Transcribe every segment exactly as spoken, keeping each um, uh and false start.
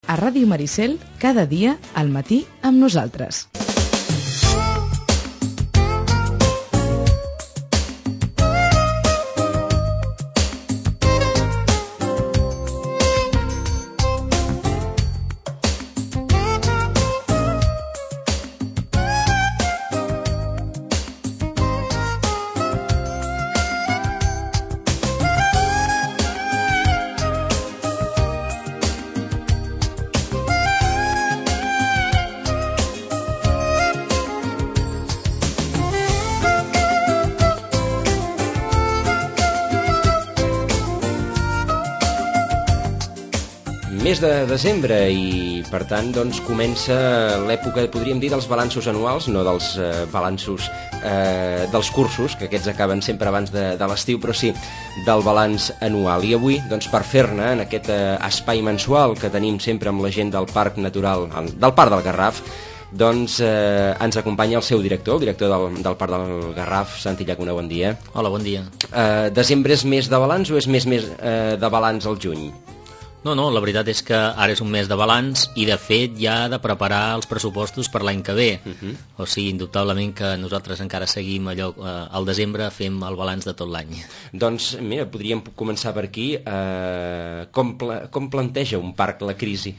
A Ràdio Maricel, cada dia, al matí, amb nosaltres. Mes de desembre i, per tant, doncs, comença l'època, podríem dir, dels balanços anuals, no dels eh, balanços eh, dels cursos, que aquests acaben sempre abans de, de l'estiu, però sí del balanç anual. I avui, doncs, per fer-ne en aquest eh, espai mensual que tenim sempre amb la gent del Parc Natural, del Parc del Garraf, doncs eh, ens acompanya el seu director, el director del, del Parc del Garraf, Santi Llacuna, bon dia. Hola, bon dia. Eh, desembre és mes de balanç o és mes, mes eh, de balanç al juny? No, no, la veritat és que ara és un mes de balanç i, de fet, ja ha de preparar els pressupostos per l'any que ve. Uh-huh. O sigui, indubtablement que nosaltres encara seguim allò, eh, al desembre fem el balanç de tot l'any. Doncs, mira, podríem començar per aquí. Eh, com, pla com planteja un parc la crisi?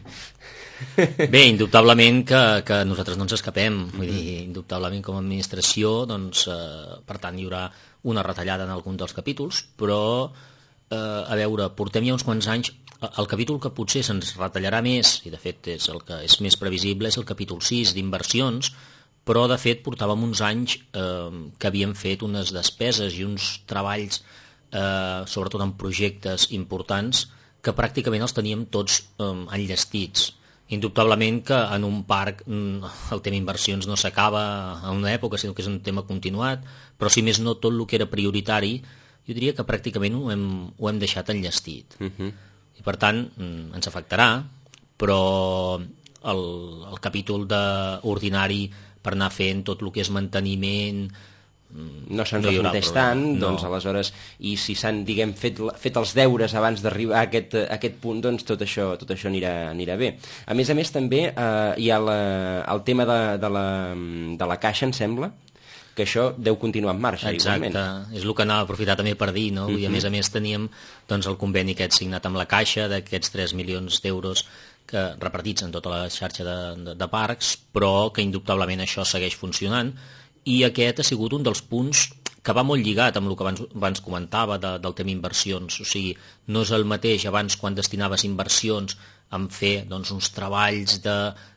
Bé, indubtablement que, que nosaltres no ens escapem. Vull uh-huh. dir, indubtablement com a administració, doncs, eh, per tant, hi haurà una retallada en algun dels capítols, però, eh, a veure, portem ja uns quants anys. El capítol que potser se'ns retallarà més, i de fet és el que és més previsible, és el capítol sis d'inversions, però de fet portàvem uns anys eh, que havíem fet unes despeses i uns treballs, eh, sobretot en projectes importants, que pràcticament els teníem tots eh, enllestits. Indubtablement que en un parc el tema inversions no s'acaba en una època, sinó que és un tema continuat, però si més no tot el que era prioritari, jo diria que pràcticament ho hem, ho hem deixat enllestit. Uh-huh. I per tant ens afectarà, però el, el capítol de, ordinari per anar fent tot el que és manteniment no se'ns no refundeix tant, no. Doncs aleshores, i si s'han, diguem, fet, fet els deures abans d'arribar a aquest, a aquest punt, doncs tot això, tot això anirà, anirà bé. A més a més també eh, hi ha la, el tema de, de, la, de la caixa, em sembla, que això deu continuar en marxa. Exacte, igualment. És el que anava a aprofitar també per dir, no? Uh-huh. I a més a més teníem doncs, el conveni aquest signat amb la Caixa d'aquests tres milions d'euros que repartits en tota la xarxa de, de, de parcs, però que indubtablement això segueix funcionant, i aquest ha sigut un dels punts que va molt lligat amb el que abans, abans comentava de, del tema inversions. O sigui, no és el mateix abans quan destinaves inversions en fer doncs, uns treballs de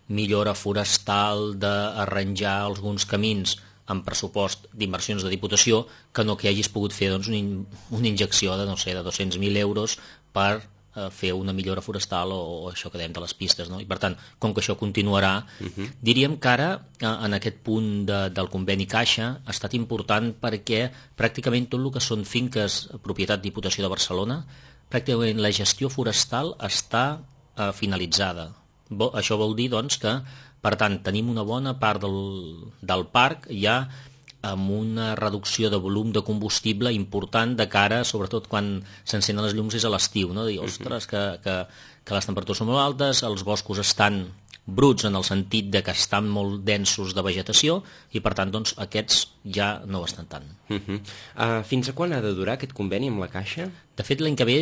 millora forestal, d'arranjar alguns camins amb pressupost d'inversions de Diputació, que no que hagis pogut fer doncs, una, una injecció de, no sé, de dos-cents mil euros per eh, fer una millora forestal o, o això que dèiem de les pistes. No? I per tant, com que això continuarà, uh-huh. diríem que ara, eh, en aquest punt de, del conveni Caixa, ha estat important perquè pràcticament tot el que són finques propietat Diputació de Barcelona, pràcticament la gestió forestal està eh, finalitzada. Bo, això vol dir doncs, que per tant, tenim una bona part del, del parc ja amb una reducció de volum de combustible important de cara, sobretot quan s'encenen les llums és a l'estiu, no? Dir, ostres, que, que, que les temperatures són molt altes, els boscos estan bruts en el sentit de que estan molt densos de vegetació i per tant doncs, aquests ja no ho estan tant. Uh-huh. uh, fins a quan ha de durar aquest conveni amb la Caixa? De fet, l'any que ve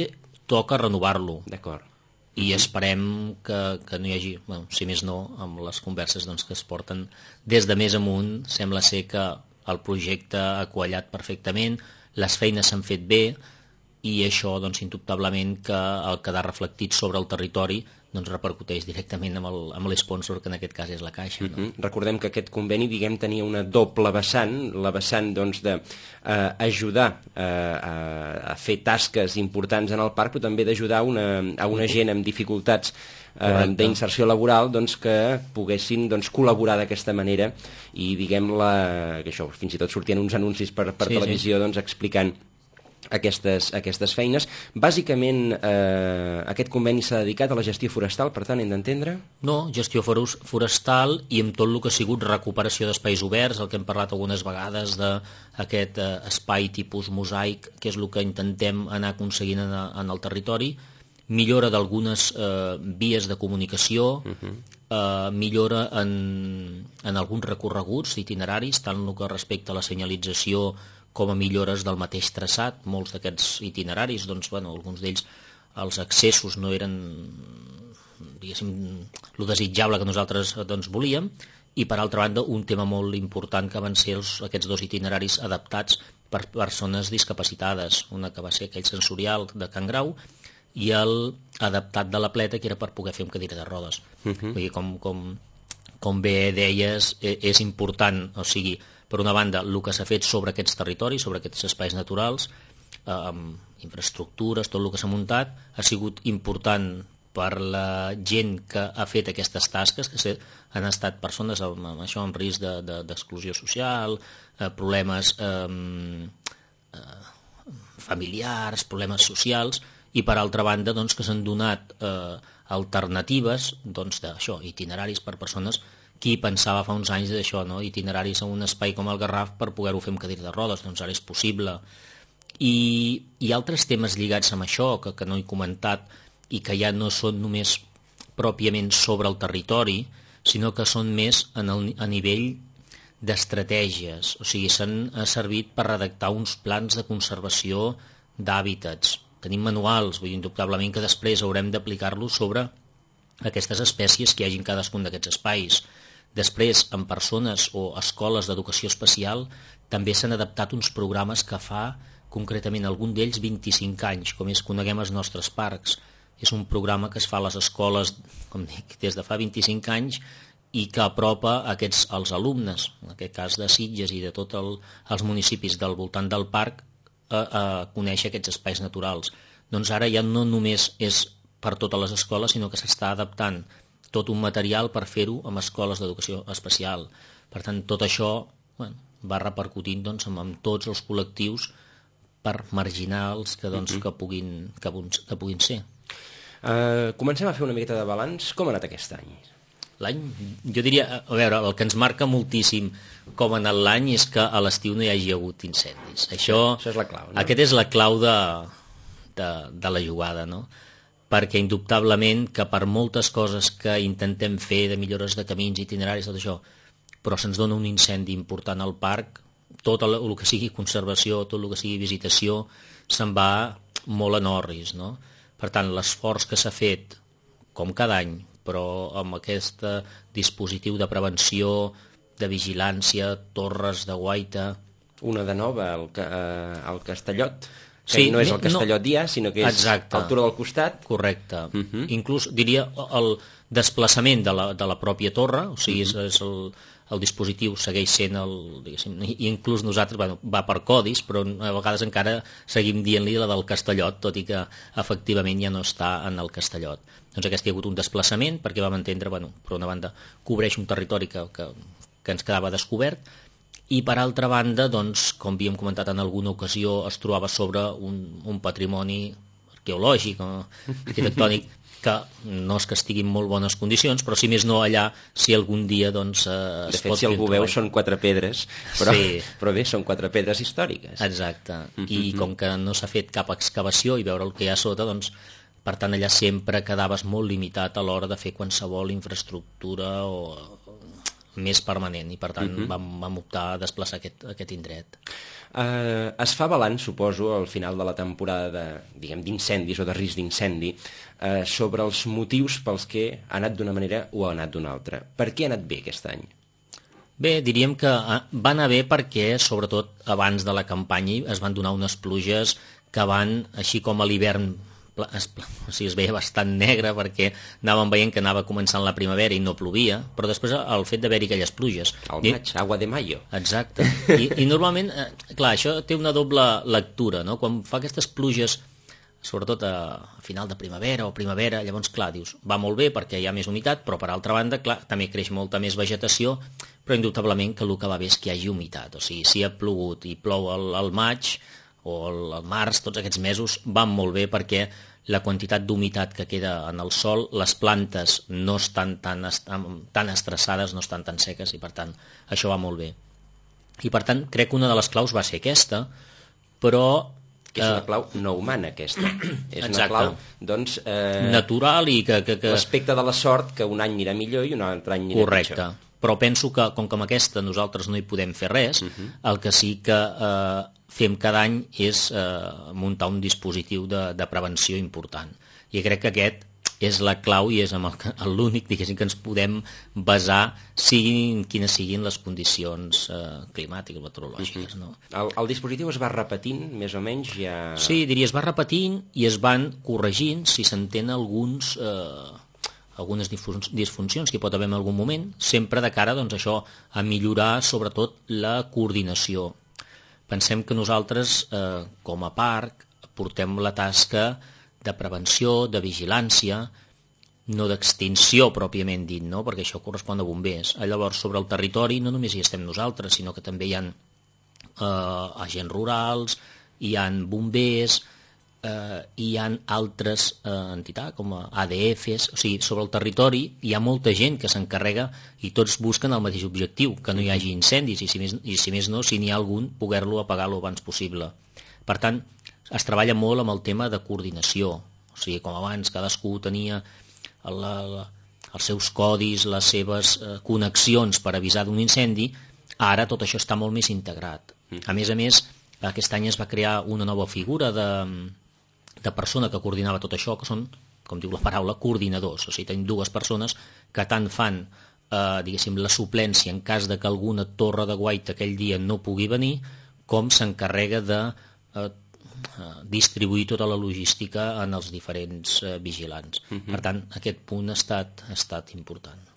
toca renovar-lo. D'acord. I esperem que, que no hi hagi, bueno, si més no, amb les converses doncs, que es porten des de més amunt, sembla ser que el projecte ha quallat perfectament, les feines s'han fet bé i això, doncs, indubtablement que el quedar reflectit sobre el territori doncs repercuteix directament amb el, amb l'esponsor, que en aquest cas és la Caixa. No? Uh-huh. Recordem que aquest conveni, diguem, tenia una doble vessant, la vessant doncs, de eh, ajudar eh, a, a fer tasques importants en el parc, però també d'ajudar una, a una gent amb dificultats eh, d'inserció laboral doncs, que poguessin doncs, col·laborar d'aquesta manera i, diguem, la, que això, fins i tot sortien uns anuncis per, per sí, televisió sí. Doncs, explicant Aquestes, aquestes feines. Bàsicament, eh, aquest conveni s'ha dedicat a la gestió forestal, per tant, hem d'entendre? No, gestió forestal i amb tot el que ha sigut recuperació d'espais oberts, el que hem parlat algunes vegades d'aquest eh, espai tipus mosaic, que és el que intentem anar aconseguint en, en el territori, millora d'algunes eh, vies de comunicació, uh-huh. eh, millora en, en alguns recorreguts itineraris, tant el que respecta a la senyalització com a millores del mateix traçat. Molts d'aquests itineraris, doncs, bueno, alguns d'ells, els accessos no eren, diguéssim, lo desitjable que nosaltres doncs, volíem, i per altra banda un tema molt important que van ser els, aquests dos itineraris adaptats per persones discapacitades, una que va ser aquell sensorial de Can Grau i el adaptat de la Pleta, que era per poder fer amb cadira de rodes. Uh-huh. Vull dir, com, com, com bé deies, és important, o sigui, per una banda, el que s'ha fet sobre aquests territoris, sobre aquests espais naturals, eh, amb infraestructures, tot el que s'ha muntat, ha sigut important per la gent que ha fet aquestes tasques, que han estat persones amb, amb això, amb risc de, de, d'exclusió social, eh, problemes eh, eh, familiars, problemes socials, i per altra banda doncs, que s'han donat eh, alternatives doncs, d'això, itineraris per persones qui pensava fa uns anys d'això, no? Itineraris a un espai com el Garraf per poder-ho fer amb cadira de rodes, doncs ara és possible. I, i altres temes lligats amb això que, que no he comentat i que ja no són només pròpiament sobre el territori, sinó que són més en el, a nivell d'estratègies, o sigui, s'han servit per redactar uns plans de conservació d'hàbitats. Tenim manuals, vull dir, indubtablement que després haurem d'aplicar-los sobre aquestes espècies que hi hagi en cadascun d'aquests espais. Després, en persones o escoles d'educació especial, també s'han adaptat uns programes que fa, concretament algun d'ells, vint-i-cinc anys, com és Coneguem els nostres parcs. És un programa que es fa a les escoles, com dic, des de fa vint-i-cinc anys i que apropa aquests, als alumnes, en aquest cas de Sitges i de tots el, els municipis del voltant del parc, A, a conèixer aquests espais naturals. Doncs ara ja no només és per totes les escoles, sinó que s'està adaptant tot un material per fer-ho amb escoles d'educació especial. Per tant, tot això bueno, va repercutint doncs, amb, amb tots els col·lectius per marginals que, doncs, mm-hmm. que, puguin, que, que puguin ser. Uh, comencem a fer una miqueta de balanç. Com ha anat aquest any? L'any, jo diria, a veure, el que ens marca moltíssim com ha anat l'any és que a l'estiu no hi hagi hagut incendis. Això, Això és la clau, no? Aquest és la clau de, de, de la jugada, no? Perquè indubtablement que per moltes coses que intentem fer de millores de camins, itineraris, tot això, però se'ns dona un incendi important al parc, tot el, el que sigui conservació, tot el que sigui visitació, se'n va molt en orris, no? Per tant, l'esforç que s'ha fet, com cada any, però amb aquest dispositiu de prevenció, de vigilància, torres de guaita... Una de nova, el, eh, el Castellot, que sí, no és el Castellot no, ja, sinó que és exacte, a altura del costat. Correcte. Uh-huh. Inclús, diria, el desplaçament de la, de la pròpia torre, o sigui, uh-huh. és, és el, el dispositiu segueix sent el... Diguéssim, i inclús nosaltres, bueno, va per codis, però a vegades encara seguim dient-li la del Castellot, tot i que efectivament ja no està en el Castellot. Doncs aquest hi ha hagut un desplaçament perquè vam entendre, bueno, per una banda, cobreix un territori que, que, que ens quedava descobert i per altra banda, doncs, com havíem comentat en alguna ocasió, es trobava sobre un, un patrimoni arqueològic o arquitectònic que no és que estigui en molt bones condicions, però si més no allà, si algun dia doncs, eh, es de fet, pot si algú veu, són quatre pedres, però, sí. però bé, són quatre pedres històriques. Exacte, i com que no s'ha fet cap excavació i veure el que hi ha sota, doncs, per tant, allà sempre quedaves molt limitat a l'hora de fer qualsevol infraestructura o més permanent, i per tant uh-huh. vam, vam optar a desplaçar aquest, aquest indret. Uh, es fa balanç, suposo, al final de la temporada de, diguem, d'incendis o de risc d'incendi, uh, sobre els motius pels que ha anat d'una manera o ha anat d'una altra. Per què ha anat bé aquest any? Bé, diríem que va anar bé perquè, sobretot abans de la campanya, es van donar unes pluges que van, així com a l'hivern, es, o sigui, es veia bastant negre perquè anàvem veient que anava començant la primavera i no plovia, però després el fet d'haver-hi aquelles pluges... Al maig, agua de mayo. Exacte. I, i normalment, eh, clar, això té una doble lectura, no? Quan fa aquestes pluges, sobretot a, a final de primavera o primavera, llavors, clar, dius, va molt bé perquè hi ha més humitat, però per altra banda, clar, també creix molta més vegetació, però indubtablement que el que va bé és que hi hagi humitat. O sigui, si ha plogut i plou al, al maig o al, al març, tots aquests mesos van molt bé perquè la quantitat d'humitat que queda en el sòl, les plantes no estan tan, tan estressades, no estan tan seques, i per tant això va molt bé. I per tant crec que una de les claus va ser aquesta, però Que és una clau no humana, aquesta. És Exacte. una clau, doncs... Eh, natural i que... que, que... L'aspecte de la sort, que un any anirà millor i un altre any anirà Correcte. pitjor. Però penso que, com que amb aquesta nosaltres no hi podem fer res, uh -huh. el que sí que eh, fem cada any és eh, muntar un dispositiu de, de prevenció important. I crec que aquest és la clau i és amb l'únic, diguéssim, que ens podem basar siguin quines siguin les condicions eh, climàtiques, meteorològiques. No? El, el dispositiu es va repetint, més o menys, ja... Sí, diria, es va repetint i es van corregint si s'entén alguns... Eh, algunes disfuncions que hi pot haver en algun moment, sempre de cara, doncs, això, a millorar sobretot la coordinació. Pensem que nosaltres, eh, com a parc, portem la tasca de prevenció, de vigilància, no d'extinció pròpiament dit, no? Perquè això correspon a bombers. Llavors, sobre el territori no només hi estem nosaltres, sinó que també hi ha eh, agents rurals, hi ha bombers, eh, hi ha altres eh, entitats com A D Fs, o sigui, sobre el territori hi ha molta gent que s'encarrega i tots busquen el mateix objectiu, que no hi hagi incendis i si més, i si més no, si n'hi ha algun, poder-lo apagar lo abans possible. Per tant, es treballa molt amb el tema de coordinació, o sigui, com abans cadascú tenia la, la, els seus codis, les seves eh, connexions per avisar d'un incendi, ara tot això està molt més integrat. A més a més, aquest any es va crear una nova figura de, de persona que coordinava tot això, que són, com diu la paraula, coordinadors. O sigui, tenim dues persones que tant fan eh, diguéssim, la suplència en cas de que alguna torre de guaita aquell dia no pugui venir, com s'encarrega de eh, distribuir tota la logística en els diferents eh, vigilants. Uh-huh. Per tant, aquest punt ha estat, ha estat important.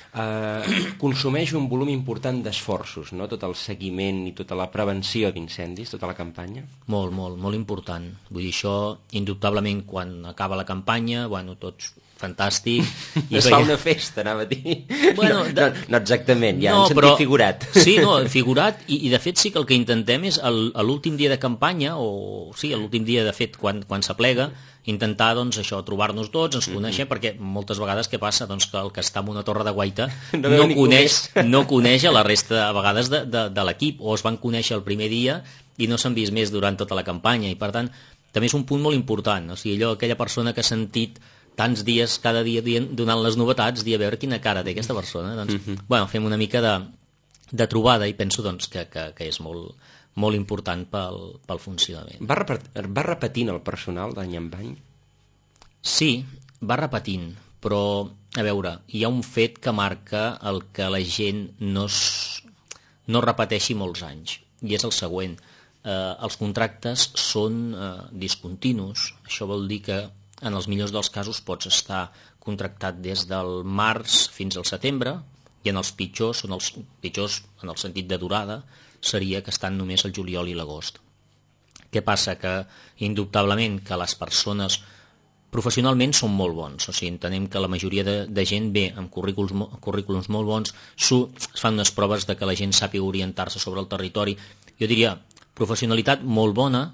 Uh, consumeix un volum important d'esforços, no? Tot el seguiment i tota la prevenció d'incendis, tota la campanya? Molt, molt, molt important. Vull dir, això, indubtablement, quan acaba la campanya, bueno, tots fantàstic. I es fa una festa, anava a dir. Bueno, no, no, no exactament, ja no, en sentit però, figurat. Sí, no, figurat, i, i de fet sí que el que intentem és el, a l'últim dia de campanya, o sí, a l'últim dia de fet quan, quan s'aplega, intentar doncs això, trobar-nos tots, ens conèixer, mm-hmm. perquè moltes vegades què passa? Doncs que el que està en una torre de guaita no, no, coneix, no coneix a la resta a vegades de, de, de l'equip, o es van conèixer el primer dia i no s'han vist més durant tota la campanya, i per tant també és un punt molt important, o sigui, allò, aquella persona que ha sentit tants dies, cada dia donant les novetats, dir a veure quina cara té aquesta persona. Doncs, mm-hmm. bueno, fem una mica de, de trobada i penso doncs, que, que, que és molt, molt important pel, pel funcionament. Va, repet, va repetint el personal d'any en any? Sí, va repetint, però, a veure, hi ha un fet que marca el que la gent no, es, no repeteixi molts anys, i és el següent. Eh, els contractes són eh, discontinus, això vol dir que en els millors dels casos pots estar contractat des del març fins al setembre, i en els pitjors, en els pitjors en el sentit de durada, seria que estan només el juliol i l'agost. Què passa? Que indubtablement que les persones professionalment són molt bons, o sigui, entenem que la majoria de, de gent ve amb currículums, currículums molt bons, es fan unes proves de que la gent sàpiga orientar-se sobre el territori. Jo diria, professionalitat molt bona,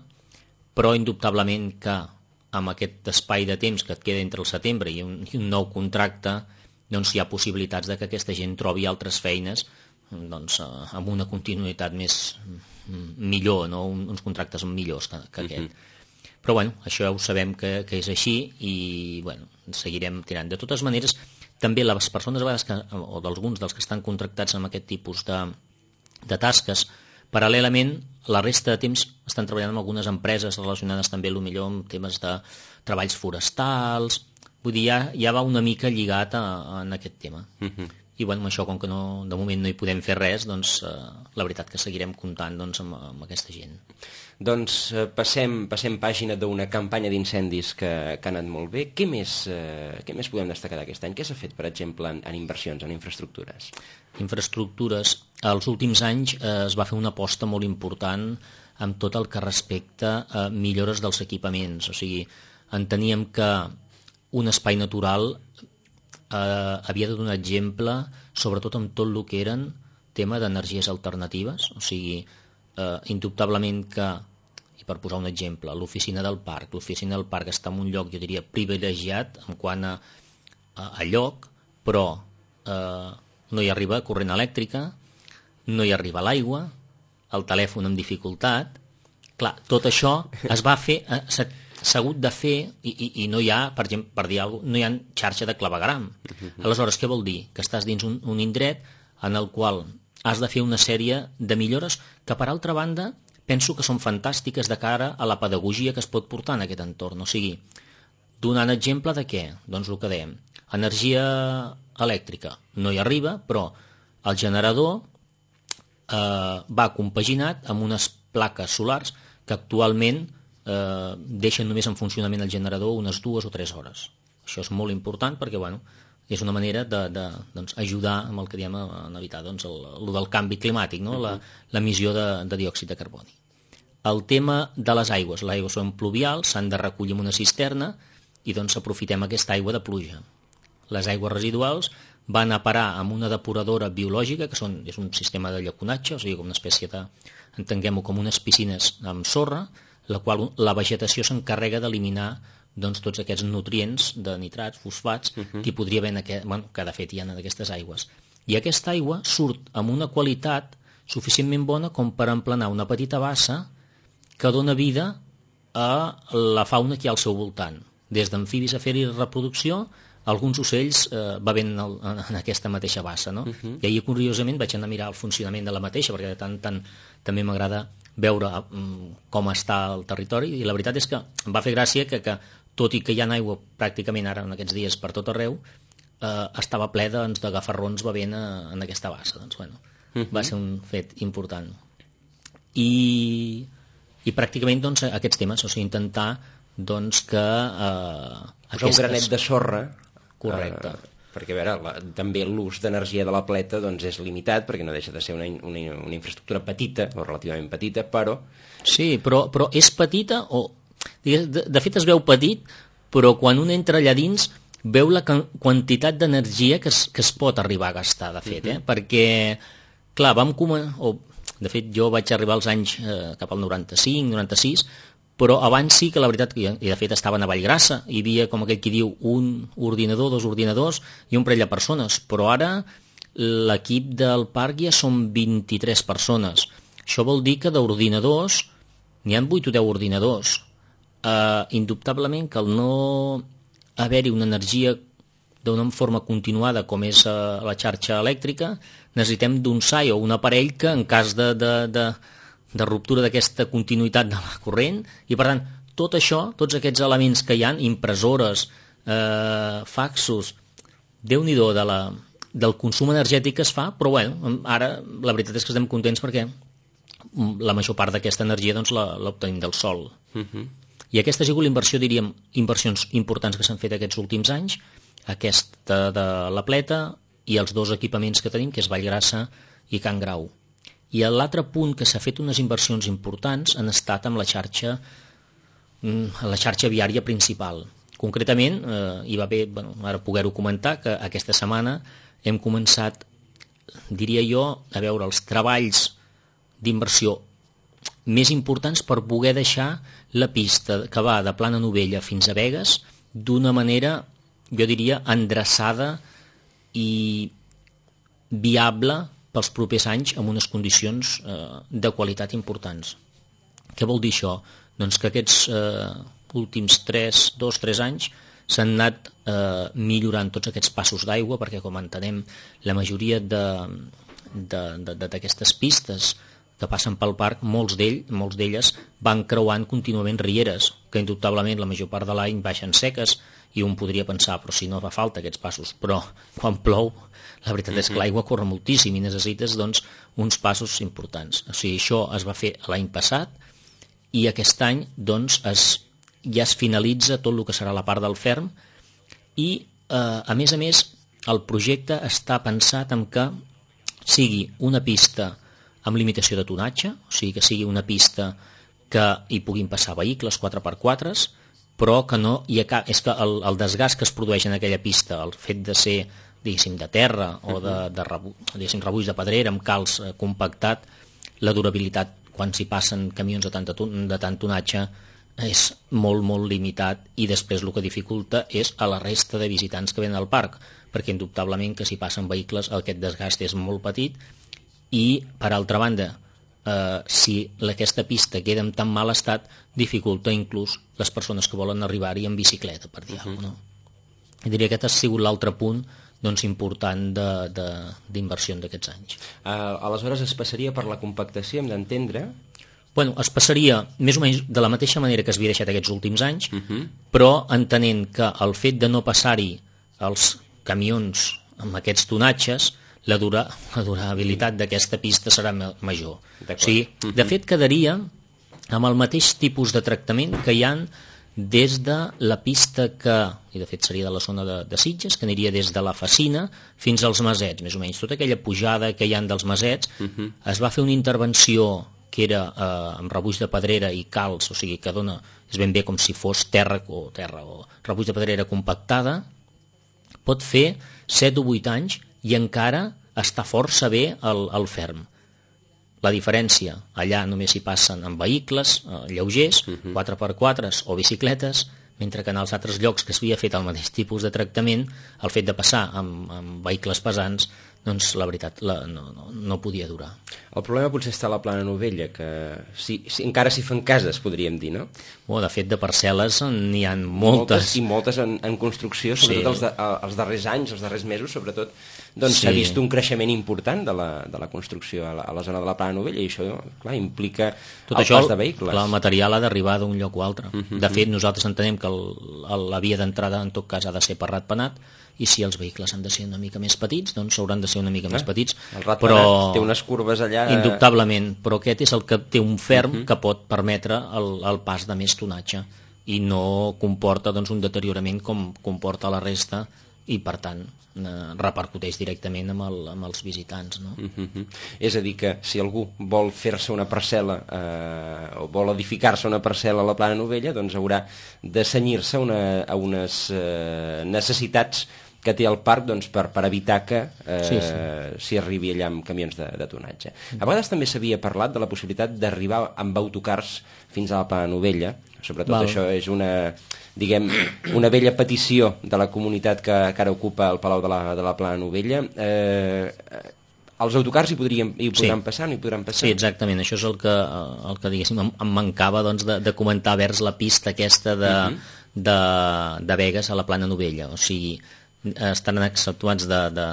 però indubtablement que amb aquest espai de temps que et queda entre el setembre i un, i un nou contracte, doncs hi ha possibilitats de que aquesta gent trobi altres feines doncs, amb una continuïtat més millor, no? uns contractes millors que, que aquest. Uh-huh. Però bueno, això ho sabem que, que és així i bueno, seguirem tirant. De totes maneres, també les persones a vegades que, o d'alguns dels que estan contractats amb aquest tipus de, de tasques, paral·lelament, la resta de temps estan treballant amb algunes empreses relacionades també potser amb temes de treballs forestals, vull dir, ja, ja va una mica lligat a, a, en aquest tema. Uh-huh. I bueno, amb això, com que no, de moment no hi podem fer res, doncs eh, la veritat que seguirem comptant doncs, amb, amb aquesta gent. Doncs eh, passem, passem pàgina d'una campanya d'incendis que, que ha anat molt bé. Què més, eh, què més podem destacar d'aquest any? Què s'ha fet, per exemple, en, en inversions, en infraestructures? Infraestructures. Els últims anys eh, es va fer una aposta molt important amb tot el que respecta a millores dels equipaments. O sigui, enteníem que un espai natural eh, havia de donar exemple, sobretot amb tot el que eren tema d'energies alternatives. O sigui, eh, indubtablement que, i per posar un exemple, l'oficina del parc, l'oficina del parc està en un lloc, jo diria, privilegiat en quant a, a, a lloc, però eh, no hi arriba corrent elèctrica, no hi arriba l'aigua, el telèfon amb dificultat, clar, tot això es va fer, s'ha hagut de fer, i, i, i no hi ha, per exemple, per dir alguna cosa, no hi ha xarxa de clavegram. Uh-huh. Aleshores, què vol dir? Que estàs dins un, un indret en el qual has de fer una sèrie de millores que, per altra banda, penso que són fantàstiques de cara a la pedagogia que es pot portar en aquest entorn. O sigui, donant exemple de què? Doncs el que dèiem, energia elèctrica no hi arriba, però el generador eh, va compaginat amb unes plaques solars que actualment eh, deixen només en funcionament el generador unes dues o tres hores. Això és molt important perquè, bueno, és una manera d'ajudar de, de, doncs, ajudar amb el que diem en evitar doncs, el, el del canvi climàtic, no? La, l'emissió de, de diòxid de carboni. El tema de les aigües. Les aigües són pluvials, s'han de recollir en una cisterna i doncs aprofitem aquesta aigua de pluja. Les aigües residuals van a parar amb una depuradora biològica, que són, és un sistema de llaconatge, o sigui, com una espècie de, entenguem-ho com unes piscines amb sorra, la qual la vegetació s'encarrega d'eliminar doncs, tots aquests nutrients de nitrats, fosfats, uh-huh. que hi podria haver en aquest, bueno, que de fet hi ha en aquestes aigües. I aquesta aigua surt amb una qualitat suficientment bona com per emplenar una petita bassa que dona vida a la fauna que hi ha al seu voltant. Des d'amfibis a fer-hi reproducció, alguns ocells eh, bevent el, en aquesta mateixa bassa. No? Uh-huh. I ahir, curiosament, vaig anar a mirar el funcionament de la mateixa, perquè de tant tant també m'agrada veure um, com està el territori, i la veritat és que em va fer gràcia que, que tot i que hi ha aigua pràcticament ara en aquests dies per tot arreu, eh, estava ple doncs, de gafarrons bevent a, en aquesta bassa. Doncs, bueno, uh-huh. va ser un fet important. I, i pràcticament doncs, aquests temes, o sigui, intentar doncs, que... Eh, aquestes... un granet de sorra. Correcte. Eh, perquè a veure, la, també l'ús d'energia de la pleta doncs, és limitat, perquè no deixa de ser una, una, una infraestructura petita, o relativament petita, però... Sí, però, però és petita o... De, de fet es veu petit, però quan un entra allà dins veu la quantitat d'energia que es, que es pot arribar a gastar, de fet, eh? Uh-huh. Perquè, clar, vam començar, o de fet jo vaig arribar als anys eh, cap al noranta-cinc, noranta-sis, però abans sí que la veritat, i de fet estaven a Vallgrassa, hi havia, com aquell qui diu, un ordinador, dos ordinadors i un parell de persones, però ara l'equip del parc ja són vint-i-tres persones. Això vol dir que d'ordinadors n'hi ha vuit o deu ordinadors. Uh, indubtablement que al no haver-hi una energia d'una forma continuada com és uh, la xarxa elèctrica, necessitem d'un S A I o un aparell que en cas de, de, de, de ruptura d'aquesta continuïtat de la corrent, i per tant tot això, tots aquests elements que hi ha, impressores, eh, faxos, Déu-n'hi-do de la, del consum energètic que es fa, però bueno, ara la veritat és que estem contents perquè la major part d'aquesta energia doncs, l'obtenim del sol. Uh-huh. I aquesta ha sigut la inversió, diríem, inversions importants que s'han fet aquests últims anys, aquesta de la pleta i els dos equipaments que tenim, que és Vallgrassa i Can Grau. I l'altre punt que s'ha fet unes inversions importants han estat amb la xarxa, la xarxa viària principal. Concretament, eh, hi va haver, bueno, ara poder-ho comentar, que aquesta setmana hem començat, diria jo, a veure els treballs d'inversió més importants per poder deixar la pista que va de Plana Novella fins a Begues d'una manera, jo diria, endreçada i viable pels propers anys amb unes condicions eh, de qualitat importants. Què vol dir això? Doncs que aquests eh, últims tres, dos, tres anys s'han anat eh, millorant tots aquests passos d'aigua, perquè com entenem la majoria d'aquestes pistes que passen pel parc, molts d'ell, molts d'elles van creuant contínuament rieres, que indubtablement la major part de l'any baixen seques, i un podria pensar, però si no fa falta aquests passos, però quan plou, la veritat és que l'aigua corre moltíssim i necessites doncs, uns passos importants. O sigui, això es va fer l'any passat i aquest any doncs, es, ja es finalitza tot el que serà la part del ferm i, eh, a més a més, el projecte està pensat en que sigui una pista amb limitació de tonatge, o sigui que sigui una pista que hi puguin passar vehicles quatre per quatre, però que no hi ha cap... És que el, el desgast que es produeix en aquella pista, el fet de ser, diguéssim, de terra o de, de rebu, diguéssim, rebuix de pedrera amb calç eh, compactat, la durabilitat quan s'hi passen camions de, tanta, de tant tonatge és molt, molt limitat, i després el que dificulta és a la resta de visitants que venen al parc, perquè indubtablement que si passen vehicles aquest desgast és molt petit. I, per altra banda, eh, si aquesta pista queda en tan mal estat, dificulta inclús les persones que volen arribar-hi en bicicleta, per dir alguna cosa, no? I diria que aquest ha sigut l'altre punt doncs, important d'inversió d'aquests anys. Uh, aleshores es passaria per la compactació, hem d'entendre... Bueno, es passaria més o menys de la mateixa manera que es havia deixat aquests últims anys, uh -huh. però entenent que el fet de no passar-hi els camions amb aquests tonatges, la, dura, la durabilitat d'aquesta pista serà major. O sigui, uh -huh. De fet, quedaria amb el mateix tipus de tractament que hi ha des de la pista que, i de fet seria de la zona de, de Sitges, que aniria des de la Facina fins als Masets, més o menys. Tota aquella pujada que hi ha dels Masets, uh -huh. es va fer una intervenció que era eh, amb rebuig de pedrera i calç, o sigui, que dona, és ben bé com si fos terra o terra o rebuig de pedrera compactada, pot fer set o vuit anys i encara està força bé el, el ferm. La diferència, allà només hi passen amb vehicles eh, lleugers, uh-huh. quatre per quatre o bicicletes, mentre que en els altres llocs que s'havia fet el mateix tipus de tractament, el fet de passar amb, amb vehicles pesants, doncs la veritat la, no, no, no podia durar. El problema potser està a la Plana Novella, que si, si, encara s'hi fan cases, podríem dir, no? Oh, de fet, de parcel·les n'hi ha moltes. Moltes i moltes en, en construcció, sobretot sí. els, de, els darrers anys, els darrers mesos, sobretot, doncs s'ha sí. vist un creixement important de la, de la construcció a la, a la zona de la Plana Novella, i això, clar, implica tot el això, pas de vehicles. Clar, el material ha d'arribar d'un lloc o altre. Uh-huh. De fet, nosaltres entenem que el, el, la via d'entrada, en tot cas, ha de ser per ratpenat, i si els vehicles han de ser una mica més petits, doncs hauran de ser una mica ah, més petits. El ratpenat té unes curves allà... Indubtablement, però aquest és el que té un ferm uh-huh. que pot permetre el, el pas de més tonatge i no comporta doncs, un deteriorament com comporta la resta i, per tant, eh, repercuteix directament amb, el, amb els visitants. No? Uh-huh. És a dir, que si algú vol fer-se una parcel·la eh, o vol edificar-se una parcel·la a la Plana Novella, doncs haurà de cenyir-se una, a unes eh, necessitats que té el parc doncs, per, per evitar que eh, sí, sí. s'hi arribi allà amb camions de, de tonatge. A vegades també s'havia parlat de la possibilitat d'arribar amb autocars fins a la Plana Novella. Sobretot Val. Això és una, diguem, una vella petició de la comunitat que, que ara ocupa el Palau de la, de la Plana Novella. Eh, els autocars hi, podrien, hi podran sí. passar, no hi podran passar? Sí, exactament. Això és el que, el que diguéssim, em, em mancava doncs, de, de comentar vers la pista aquesta de, uh-huh. de, de Begues a la Plana Novella. O sigui, estan exceptuats de, de...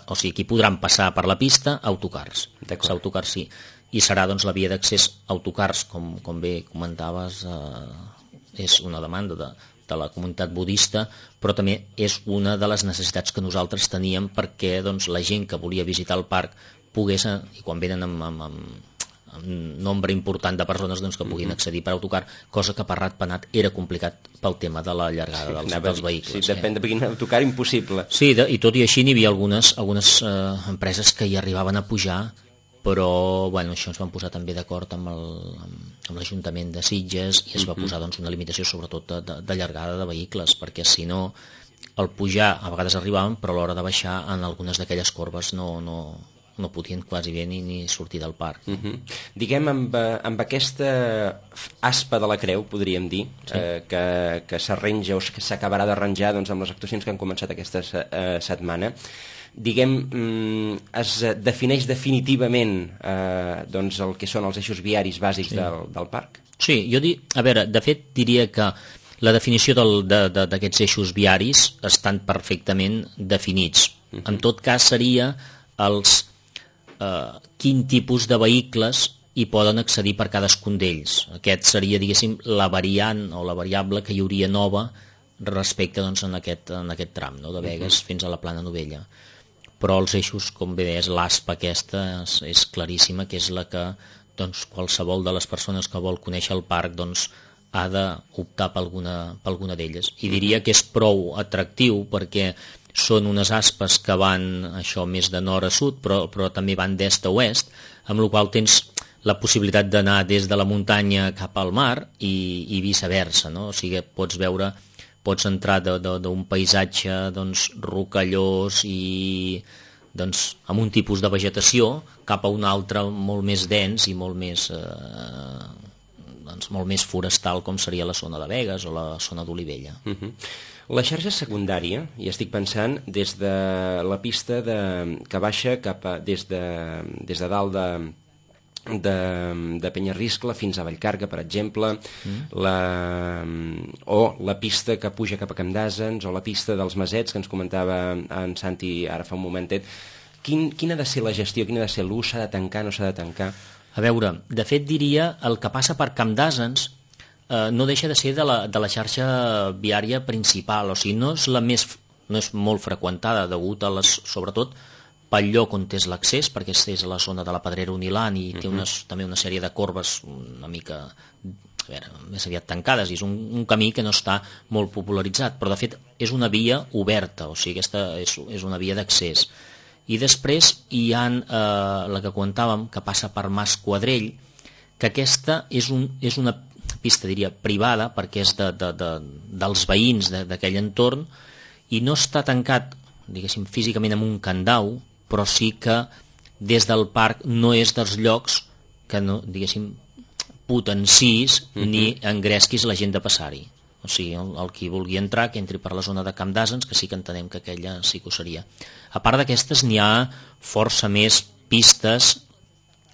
O sigui, aquí podran passar per la pista autocars. Els autocars sí. I serà doncs, la via d'accés autocars, com, com bé comentaves, eh, és una demanda de, de la comunitat budista, però també és una de les necessitats que nosaltres teníem perquè doncs, la gent que volia visitar el parc pogués, i quan venen amb, amb, amb, amb nombre important de persones doncs, que puguin accedir per autocar, cosa que per ratpenat era complicat pel tema de la llargada sí, dels, dels vehicles. Sí, depèn de quin autocar, impossible. Sí, de, i tot i així n'hi havia algunes, algunes eh, empreses que hi arribaven a pujar, però bueno, això ens vam posar també d'acord amb l'Ajuntament de Sitges i es va posar doncs, una limitació sobretot de, de, de llargada de vehicles, perquè si no el pujar a vegades arribaven, però a l'hora de baixar en algunes d'aquelles corbes no, no, no podien quasi bé ni, ni sortir del parc. Uh -huh. Diguem, amb, amb aquesta aspa de la creu, podríem dir, sí. eh, que, que s'arrenja o que s'acabarà d'arranjar doncs, amb les actuacions que han començat aquesta eh, setmana, diguem, es defineix definitivament eh, doncs el que són els eixos viaris bàsics sí. del, del parc? Sí, jo di, a veure, de fet diria que la definició d'aquests de, eixos viaris estan perfectament definits. Uh-huh. En tot cas seria els eh, quin tipus de vehicles hi poden accedir per cadascun d'ells. Aquest seria, diguéssim, la variant o la variable que hi hauria nova respecte doncs, en, aquest, en aquest tram, no? De Begues uh-huh. fins a la Plana Novella. Però els eixos, com bé deies, l'aspa aquesta és, és claríssima, que és la que doncs, qualsevol de les persones que vol conèixer el parc doncs, ha d'optar per alguna, per alguna d'elles. I diria que és prou atractiu perquè són unes aspes que van això més de nord a sud, però, però també van d'est a oest, amb la qual tens la possibilitat d'anar des de la muntanya cap al mar i, i viceversa, no? O sigui, pots veure... pots entrar d'un paisatge doncs, rocallós i doncs, amb un tipus de vegetació cap a un altre molt més dens i molt més, eh, doncs, molt més forestal com seria la zona de Begues o la zona d'Olivella. Uh-huh. La xarxa secundària, i estic pensant des de la pista de, que baixa cap a, des, de, des de dalt de, de, de Penyarriscle fins a Vallcarca, per exemple, mm. la, o la pista que puja cap a Camp d'Àsens, o la pista dels Masets, que ens comentava en Santi ara fa un momentet. Quin, quina ha de ser la gestió, quin ha de ser l'ús? S'ha de tancar, no s'ha de tancar? A veure, de fet diria el que passa per Camp d'Àsens eh, no deixa de ser de la, de la xarxa viària principal, o sigui, no és la més, no és molt freqüentada, degut a les, sobretot pel lloc on és l'accés, perquè és a la zona de la Pedrera Unilant i té unes, uh-huh. també una sèrie de corbes una mica, a veure, més aviat tancades, i és un, un camí que no està molt popularitzat, però de fet és una via oberta, o sigui, aquesta és, és una via d'accés. I després hi ha eh, la que comentàvem, que passa per Mas Quadrell, que aquesta és, un, és una pista, diria, privada, perquè és de, de, de, dels veïns d'aquell entorn, i no està tancat, diguéssim, físicament amb un candau, però sí que des del parc no és dels llocs que, no, diguéssim, potencis uh-huh. ni engresquis la gent de passar-hi. O sigui, el, el qui vulgui entrar, que entri per la zona de Camp d'Àsens, que sí que entenem que aquella sí que ho seria. A part d'aquestes, n'hi ha força més pistes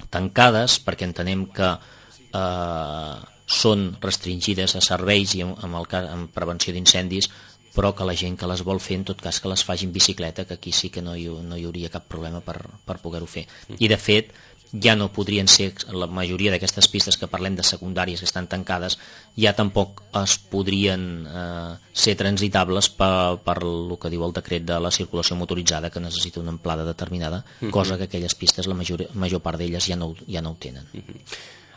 tancades, perquè entenem que eh, són restringides a serveis i amb, amb, el, amb prevenció d'incendis, però que la gent que les vol fer, en tot cas, que les faci en bicicleta, que aquí sí que no hi, no hi hauria cap problema per, per poder-ho fer. I, de fet, ja no podrien ser, la majoria d'aquestes pistes que parlem de secundàries que estan tancades, ja tampoc es podrien eh, ser transitables per, per el que diu el decret de la circulació motoritzada, que necessita una amplada determinada, uh-huh. cosa que aquelles pistes, la major, major part d'elles ja no, ja no ho tenen. Uh-huh.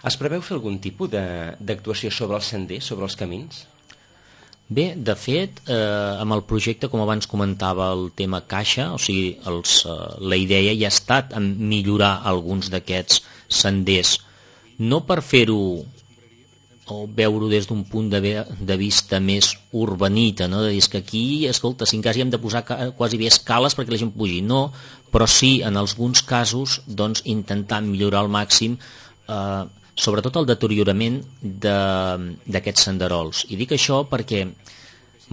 Es preveu fer algun tipus d'actuació sobre els senders, sobre els camins? Bé, de fet, eh, amb el projecte, com abans comentava, el tema caixa, o sigui, els, eh, la idea ja ha estat en millorar alguns d'aquests senders, no per fer-ho o veure-ho des d'un punt de, de vista més urbanita, no? De dir que aquí, escolta, si en cas hi hem de posar quasi bé escales perquè la gent pugi, no, però sí, en alguns casos, doncs, intentar millorar al màxim eh, sobretot el deteriorament d'aquests senderols. I dic això perquè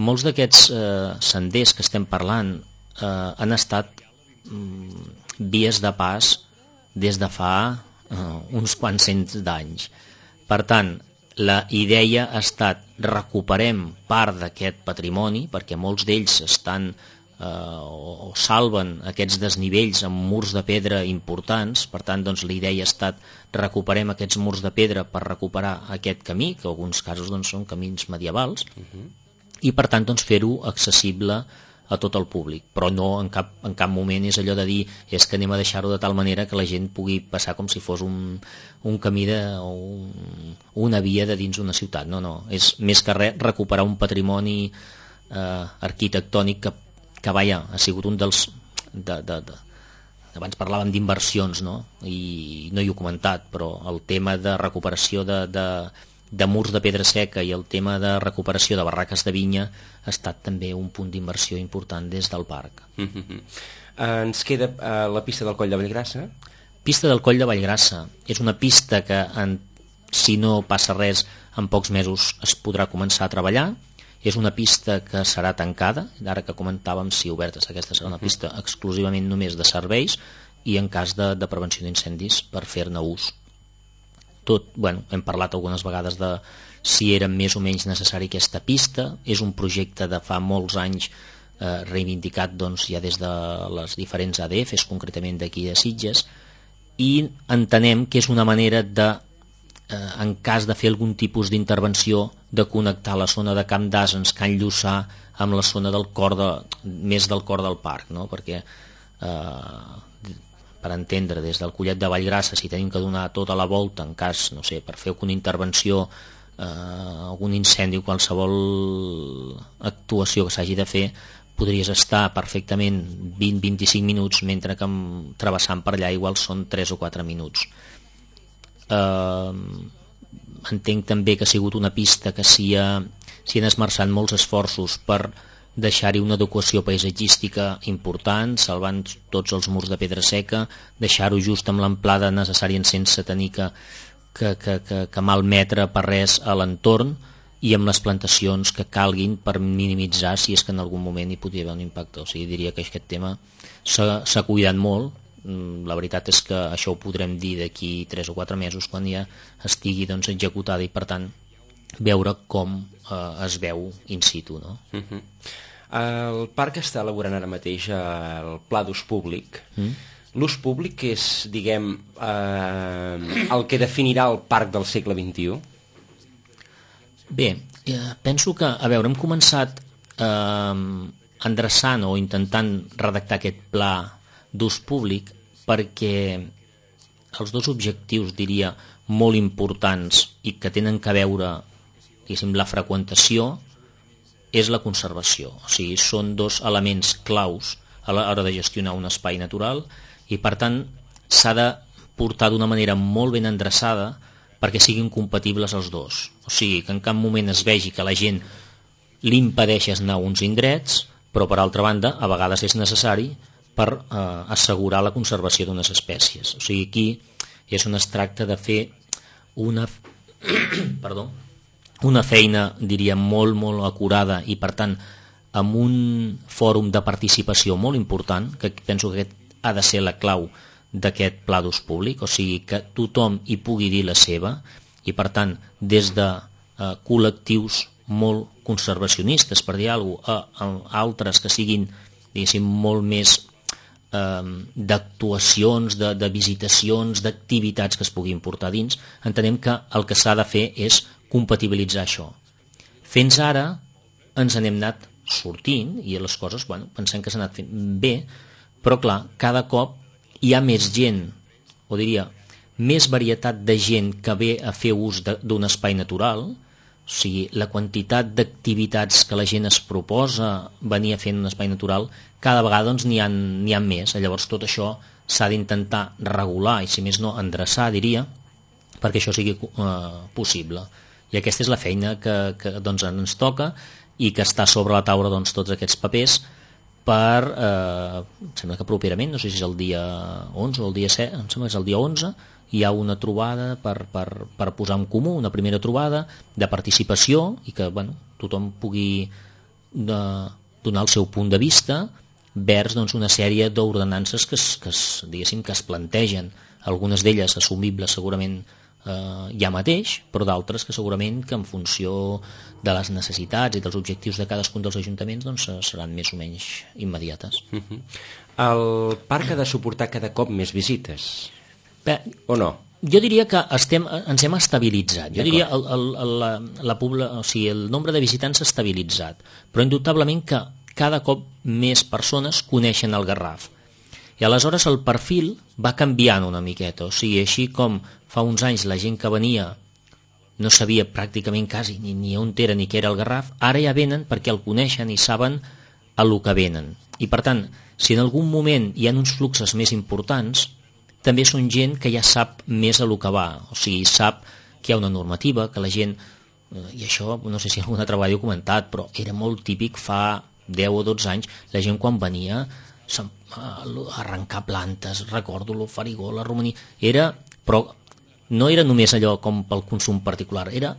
molts d'aquests eh, senders que estem parlant eh, han estat mm, vies de pas des de fa eh, uns quants cents d'anys. Per tant, la idea ha estat recuperem part d'aquest patrimoni, perquè molts d'ells estan eh, o, o salven aquests desnivells amb murs de pedra importants. Per tant, doncs, la idea ha estat recuperem aquests murs de pedra per recuperar aquest camí, que en alguns casos doncs, són camins medievals, uh-huh. i per tant doncs, fer-ho accessible a tot el públic, però no en cap, en cap moment és allò de dir és que anem a deixar-ho de tal manera que la gent pugui passar com si fos un, un camí de, o un, una via de dins una ciutat. No, no, és més que res recuperar un patrimoni eh, arquitectònic que, que vaja, ha sigut un dels... De, de, de, abans parlàvem d'inversions, no? I no hi he comentat, però el tema de recuperació de, de, de murs de pedra seca i el tema de recuperació de barraques de vinya ha estat també un punt d'inversió important des del parc. Mm-hmm. Uh, ens queda uh, la pista del Coll de Vallgrassa. Pista del Coll de Vallgrassa. És una pista que, en, si no passa res, en pocs mesos es podrà començar a treballar. És una pista que serà tancada, ara que comentàvem si obertes, aquesta serà una pista exclusivament només de serveis i en cas de, de prevenció d'incendis per fer-ne ús. Tot, bueno, hem parlat algunes vegades de si era més o menys necessari aquesta pista, és un projecte de fa molts anys eh, reivindicat doncs, ja des de les diferents A D Fs, concretament d'aquí de Sitges, i entenem que és una manera de Eh, en cas de fer algun tipus d'intervenció, de connectar la zona de Camp d'Àsens, Can Lluçà, amb la zona del cor de, més del cor del parc, no? Perquè eh, per entendre, des del Collet de Vallgrassa, si tenim que donar tota la volta en cas, no sé, per fer alguna intervenció, eh, algun incendi o qualsevol actuació que s'hagi de fer, podries estar perfectament vint a vint-i-cinc minuts, mentre que travessant per allà igual són tres o quatre minuts. Uh, entenc també que ha sigut una pista que s'hi ha, s'hi han esmerçat molts esforços per deixar-hi una adequació paisatgística important, salvant tots els murs de pedra seca, deixar-ho just amb l'amplada necessària sense tenir que, que, que, que, que malmetre per res a l'entorn i amb les plantacions que calguin per minimitzar si és que en algun moment hi podria haver un impacte. O sigui, diria que aquest tema s'ha, s'ha cuidat molt la veritat és que això ho podrem dir d'aquí tres o quatre mesos quan ja estigui doncs, executada i per tant veure com eh, es veu in situ, no? Uh-huh. El parc està elaborant ara mateix el pla d'ús públic. Mm. L'ús públic és, diguem, eh, el que definirà el parc del segle vint-i-u? Bé, eh, penso que, a veure, hem començat eh, endreçant o intentant redactar aquest pla d'ús públic perquè els dos objectius, diria, molt importants i que tenen que veure, diguéssim, la freqüentació és la conservació. O sigui, són dos elements claus a l'hora de gestionar un espai natural i, per tant, s'ha de portar d'una manera molt ben endreçada perquè siguin compatibles els dos. O sigui, que en cap moment es vegi que la gent li impedeixes anar a uns indrets, però, per altra banda, a vegades és necessari per eh, assegurar la conservació d'unes espècies. O sigui, aquí és on es tracta de fer una, perdó, una feina, diria, molt, molt acurada i, per tant, amb un fòrum de participació molt important, que penso que aquest ha de ser la clau d'aquest pla d'ús públic, o sigui, que tothom hi pugui dir la seva i, per tant, des de eh, col·lectius molt conservacionistes, per dir alguna cosa, a, a altres que siguin, diguéssim, molt més d'actuacions, de, de visitacions, d'activitats que es puguin portar dins, entenem que el que s'ha de fer és compatibilitzar això. Fins ara ens n'hem anat sortint i les coses, bueno, pensem que s'han anat fent bé, però clar, cada cop hi ha més gent, o diria, més varietat de gent que ve a fer ús d'un espai natural. O sigui, la quantitat d'activitats que la gent es proposa venir a fer en un espai natural, cada vegada doncs, n'hi ha, n'hi ha més. Llavors tot això s'ha d'intentar regular i, si més no, endreçar, diria, perquè això sigui eh, possible. I aquesta és la feina que, que doncs, ens toca i que està sobre la taula doncs, tots aquests papers per, eh, em sembla que properament, no sé si és el dia onze o el dia set, em sembla que és el dia onze, hi ha una trobada per, per, per posar en comú, una primera trobada de participació i que bueno, tothom pugui de, donar el seu punt de vista vers doncs, una sèrie d'ordenances que, es, que, es, diguéssim, que es plantegen, algunes d'elles assumibles segurament eh, ja mateix, però d'altres que segurament que en funció de les necessitats i dels objectius de cadascun dels ajuntaments doncs, seran més o menys immediates. Uh-huh. El parc ha de suportar cada cop més visites? Bé, o no? Jo diria que estem, ens hem estabilitzat. Jo diria el, el, el, la, la pobla, o sigui, el nombre de visitants s'ha estabilitzat, però indubtablement que cada cop més persones coneixen el Garraf. I aleshores el perfil va canviant una miqueta, o sigui, així com fa uns anys la gent que venia no sabia pràcticament quasi ni, ni on era ni què era el Garraf, ara ja venen perquè el coneixen i saben a lo que venen. I per tant, si en algun moment hi ha uns fluxos més importants, també són gent que ja sap més a lo que va, o sigui, sap que hi ha una normativa, que la gent, i això no sé si algun altre vegada ho he comentat, però era molt típic fa deu o dotze anys, la gent quan venia a arrencar plantes, recordo lo farigó, la romaní, era, però no era només allò com pel consum particular, era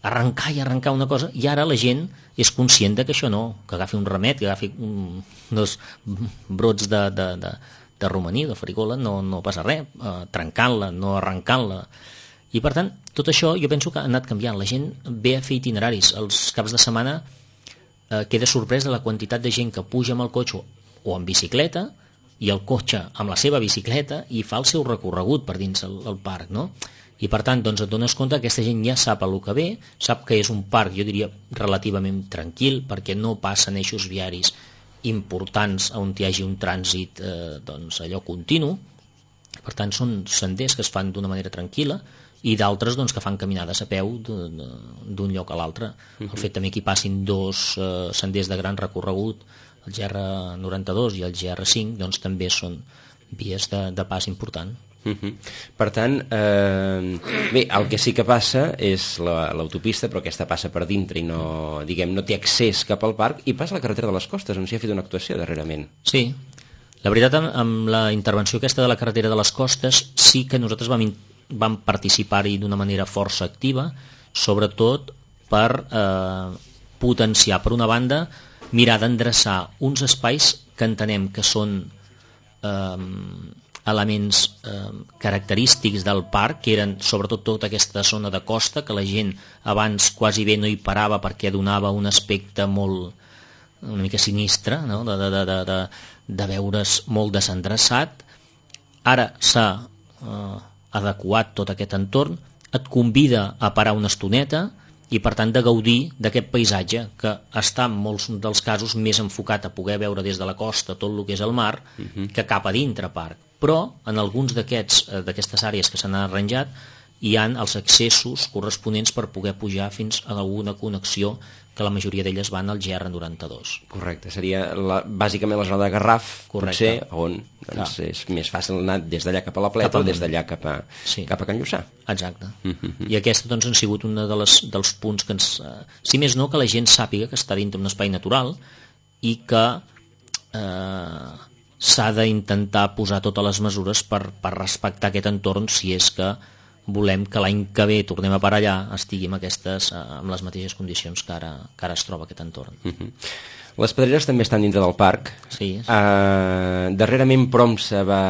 arrencar i arrencar una cosa, i ara la gent és conscient de que això no, que agafi un remet, que agafi un, uns brots de, de, de de romaní, de farigola, no, no passa res, eh, trencant-la, no arrencant-la. I per tant, tot això jo penso que ha anat canviant. La gent ve a fer itineraris. Els caps de setmana eh, queda sorprès de la quantitat de gent que puja amb el cotxe o amb bicicleta i el cotxe amb la seva bicicleta i fa el seu recorregut per dins el, el parc, no? I per tant, doncs et dones compte que aquesta gent ja sap el que ve, sap que és un parc, jo diria, relativament tranquil, perquè no passen eixos viaris importants on hi hagi un trànsit eh, doncs allò continu. Per tant són senders que es fan d'una manera tranquil·la i d'altres doncs, que fan caminades a peu d'un lloc a l'altre. Uh-huh. El fet també que hi passin dos eh, senders de gran recorregut, el G R noranta-dos i el G R cinc, doncs també són vies de, de pas important. Uh-huh. Per tant, eh, bé, el que sí que passa és l'autopista, però aquesta passa per dintre i no, diguem, no té accés cap al parc, i passa la carretera de les Costes, on s'hi ha fet una actuació darrerament. Sí, la veritat, amb, amb la intervenció aquesta de la carretera de les Costes sí que nosaltres vam, vam participar-hi d'una manera força activa, sobretot per eh, potenciar, per una banda, mirar d'endreçar uns espais que entenem que són eh, elements eh, característics del parc, que eren sobretot tota aquesta zona de costa, que la gent abans quasi bé no hi parava perquè donava un aspecte molt, una mica sinistre, no? de, de, de, de, de veure's molt desendreçat. Ara s'ha eh, adequat tot aquest entorn, et convida a parar una estoneta i per tant de gaudir d'aquest paisatge que està en molts dels casos més enfocat a poder veure des de la costa tot el que és el mar uh-huh. que cap a dintre parc, però en alguns d'aquests d'aquestes àrees que s'han arranjat hi han els accessos corresponents per poder pujar fins a una connexió que la majoria d'elles van al G R noranta-dos. Correcte, seria la, bàsicament la zona de Garraf, Correcte. Potser, on doncs, és més fàcil anar des d'allà cap a la Pleta o des d'allà cap a, sí. cap a Can Lluçà. Exacte. Mm-hmm. I aquesta doncs, han sigut un de les, dels punts que ens... Eh, si més no, que la gent sàpiga que està dintre un espai natural i que eh, s'ha d'intentar posar totes les mesures per, per respectar aquest entorn si és que volem que l'any que ve tornem a parar allà estigui amb, aquestes, amb les mateixes condicions que ara, que ara es troba aquest entorn. Uh-huh. Les pedreres també estan dintre del parc. Sí. sí. Uh, darrerament Promsa va,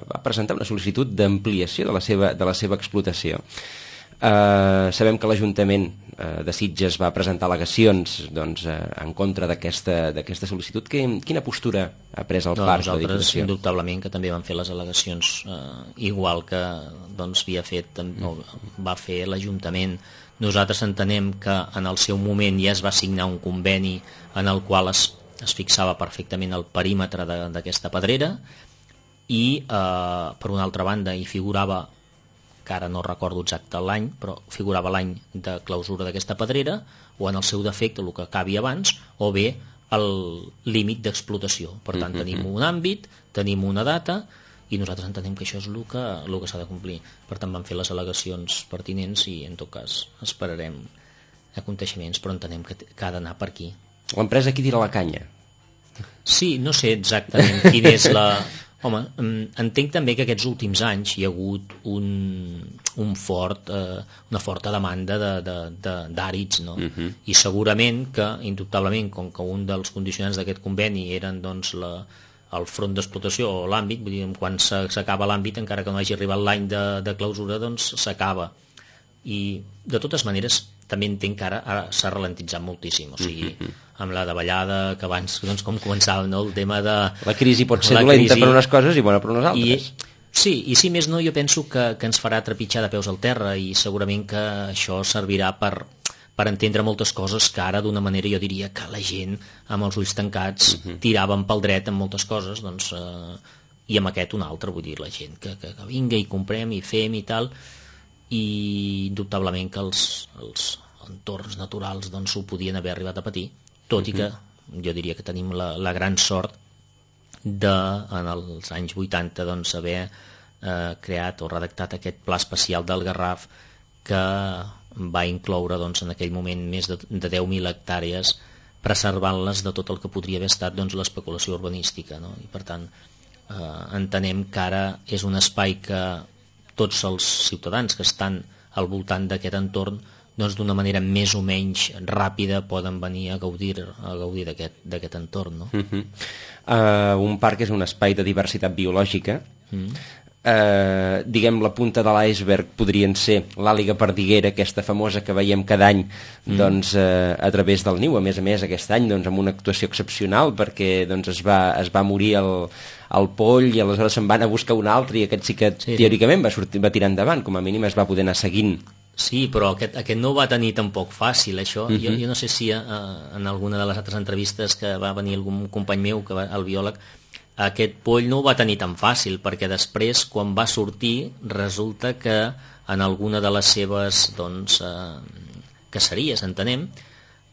va presentar una sol·licitud d'ampliació de la seva, de la seva explotació. Uh, sabem que l'Ajuntament uh, de Sitges va presentar al·legacions doncs, uh, en contra d'aquesta d'aquesta sol·licitud. Que, quina postura ha pres el no, parc? Nosaltres, indubtablement, que també van fer les al·legacions uh, igual que doncs, havia fet, no, va fer l'Ajuntament. Nosaltres entenem que en el seu moment ja es va signar un conveni en el qual es, es fixava perfectament el perímetre d'aquesta pedrera i, uh, per una altra banda, hi figurava, que ara no recordo exacte l'any, però figurava l'any de clausura d'aquesta pedrera, o en el seu defecte, el que acabi abans, o bé el límit d'explotació. Per tant, mm-hmm. tenim un àmbit, tenim una data, i nosaltres entenem que això és el que, el que s'ha de complir. Per tant, vam fer les al·legacions pertinents i, en tot cas, esperarem aconteixements, però entenem que, que ha d'anar per aquí. L'empresa qui tira la canya? Sí, no sé exactament quina és la... Home, entenc també que aquests últims anys hi ha hagut un, un fort, eh, una forta demanda d'àrids, no? Uh-huh. I segurament que, indubtablement, com que un dels condicionants d'aquest conveni eren doncs, la, el front d'explotació o l'àmbit, vull dir, quan s'acaba l'àmbit, encara que no hagi arribat l'any de, de clausura, doncs s'acaba. I, de totes maneres, també entenc que ara, ara s'ha ralentitzat moltíssim, o sigui, uh-huh. amb la davallada, que abans, doncs, com començava, no? El tema de... La crisi pot ser dolenta crisi... per unes coses i bona per unes altres. I, sí, i si més no, jo penso que, que ens farà trepitjar de peus al terra i segurament que això servirà per, per entendre moltes coses que ara, d'una manera, jo diria que la gent, amb els ulls tancats, uh-huh. tiraven pel dret en moltes coses, doncs, eh, i amb aquest un altre, vull dir, la gent que, que, que vinga i comprem i fem i tal, i indubtablement que els, els entorns naturals doncs, ho podien haver arribat a patir, tot i que jo diria que tenim la, la gran sort de, en els anys vuitanta, doncs, haver eh, creat o redactat aquest pla especial del Garraf que va incloure doncs, en aquell moment més de, de deu mil hectàrees, preservant-les de tot el que podria haver estat doncs, l'especulació urbanística, no? I per tant eh, entenem que ara és un espai que tots els ciutadans que estan al voltant d'aquest entorn doncs d'una manera més o menys ràpida poden venir a gaudir, a gaudir d'aquest, d'aquest entorn. No? Uh-huh. uh, un parc és un espai de diversitat biològica. Uh-huh. uh, diguem, la punta de l'iceberg podrien ser l'àliga perdiguera, aquesta famosa que veiem cada any uh-huh. doncs, uh, a través del niu. A més a més, aquest any doncs, amb una actuació excepcional perquè doncs, es, va, es va morir el, el poll i aleshores se'n van a buscar un altre i aquest sí que sí. teòricament va, sortir, va tirar endavant, com a mínim es va poder anar seguint. Sí, però aquest, aquest no ho va tenir tampoc fàcil, això. Uh-huh. jo, jo no sé si uh, en alguna de les altres entrevistes que va venir algun company meu, que va, el biòleg, aquest poll no ho va tenir tan fàcil, perquè després, quan va sortir, resulta que en alguna de les seves doncs, uh, caceries, entenem,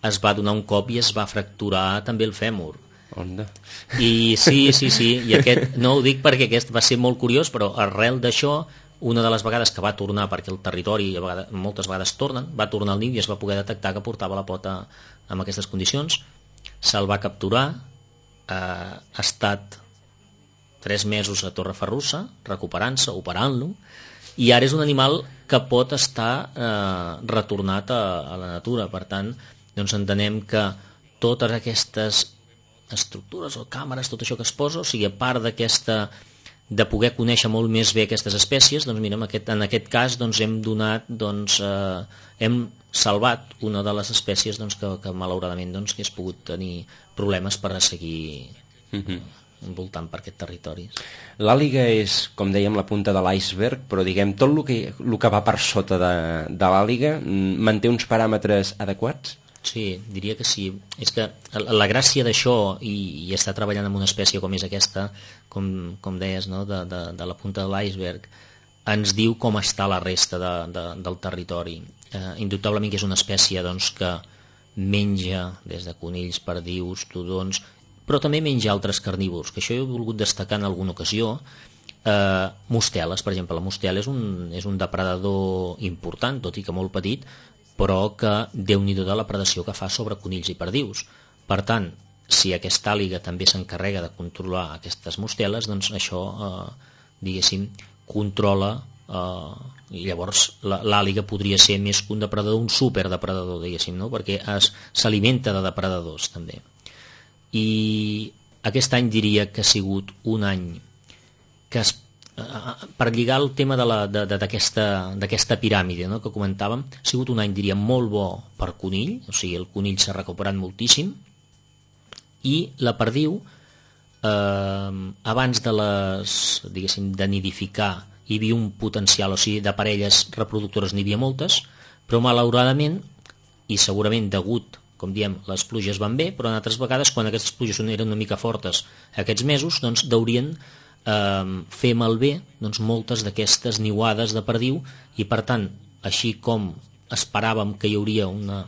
es va donar un cop i es va fracturar també el fèmur. Onda. I sí, sí, sí, i aquest, no ho dic perquè aquest va ser molt curiós, però arrel d'això, una de les vegades que va tornar, perquè el territori a vegades, moltes vegades tornen, va tornar al niu i es va poder detectar que portava la pota en aquestes condicions, se'l va capturar, eh, ha estat tres mesos a Torreferrussa recuperant-se, operant-lo, i ara és un animal que pot estar eh, retornat a, a la natura. Per tant, doncs entenem que totes aquestes estructures o càmeres, tot això que es posa, o sigui, a part d'aquesta de poder conèixer molt més bé aquestes espècies, doncs mira, en aquest, en aquest cas doncs, hem donat, doncs, eh, hem salvat una de les espècies doncs, que, que malauradament doncs, hagués pogut tenir problemes per a seguir uh-huh. envoltant per aquest territori. L'àliga és, com dèiem, la punta de l'iceberg, però diguem, tot el que, el que va per sota de, de l'àliga manté uns paràmetres adequats? Sí, diria que sí. És que la gràcia d'això, i, i estar treballant amb una espècie com és aquesta, com, com deies, no? de, de, de la punta de l'iceberg, ens diu com està la resta de, de, del territori. Eh, indubtablement que és una espècie doncs, que menja des de conills, perdius, tudons, però també menja altres carnívors, que això he volgut destacar en alguna ocasió. Eh, mosteles, per exemple. La mostela és un, és un depredador important, tot i que molt petit, però que déu-n'hi-do de la predació que fa sobre conills i perdius. Per tant, si aquesta àliga també s'encarrega de controlar aquestes mosteles, doncs això, eh, diguéssim, controla, eh, i llavors l'àliga podria ser més que un depredador, un superdepredador, diguéssim, no? Perquè s'alimenta de depredadors, també. I aquest any diria que ha sigut un any que es per lligar el tema d'aquesta piràmide, no?, que comentàvem, ha sigut un any, diria, molt bo per conill, o sigui, el conill s'ha recuperat moltíssim, i la perdiu, eh, abans de les, diguéssim, de nidificar, hi havia un potencial, o sigui, de parelles reproductores n'hi havia moltes, però malauradament, i segurament degut, com diem, les pluges van bé, però en altres vegades, quan aquestes pluges eren una mica fortes aquests mesos, doncs deurien Eh, fer malbé doncs, moltes d'aquestes niuades de perdiu, i per tant, així com esperàvem que hi hauria una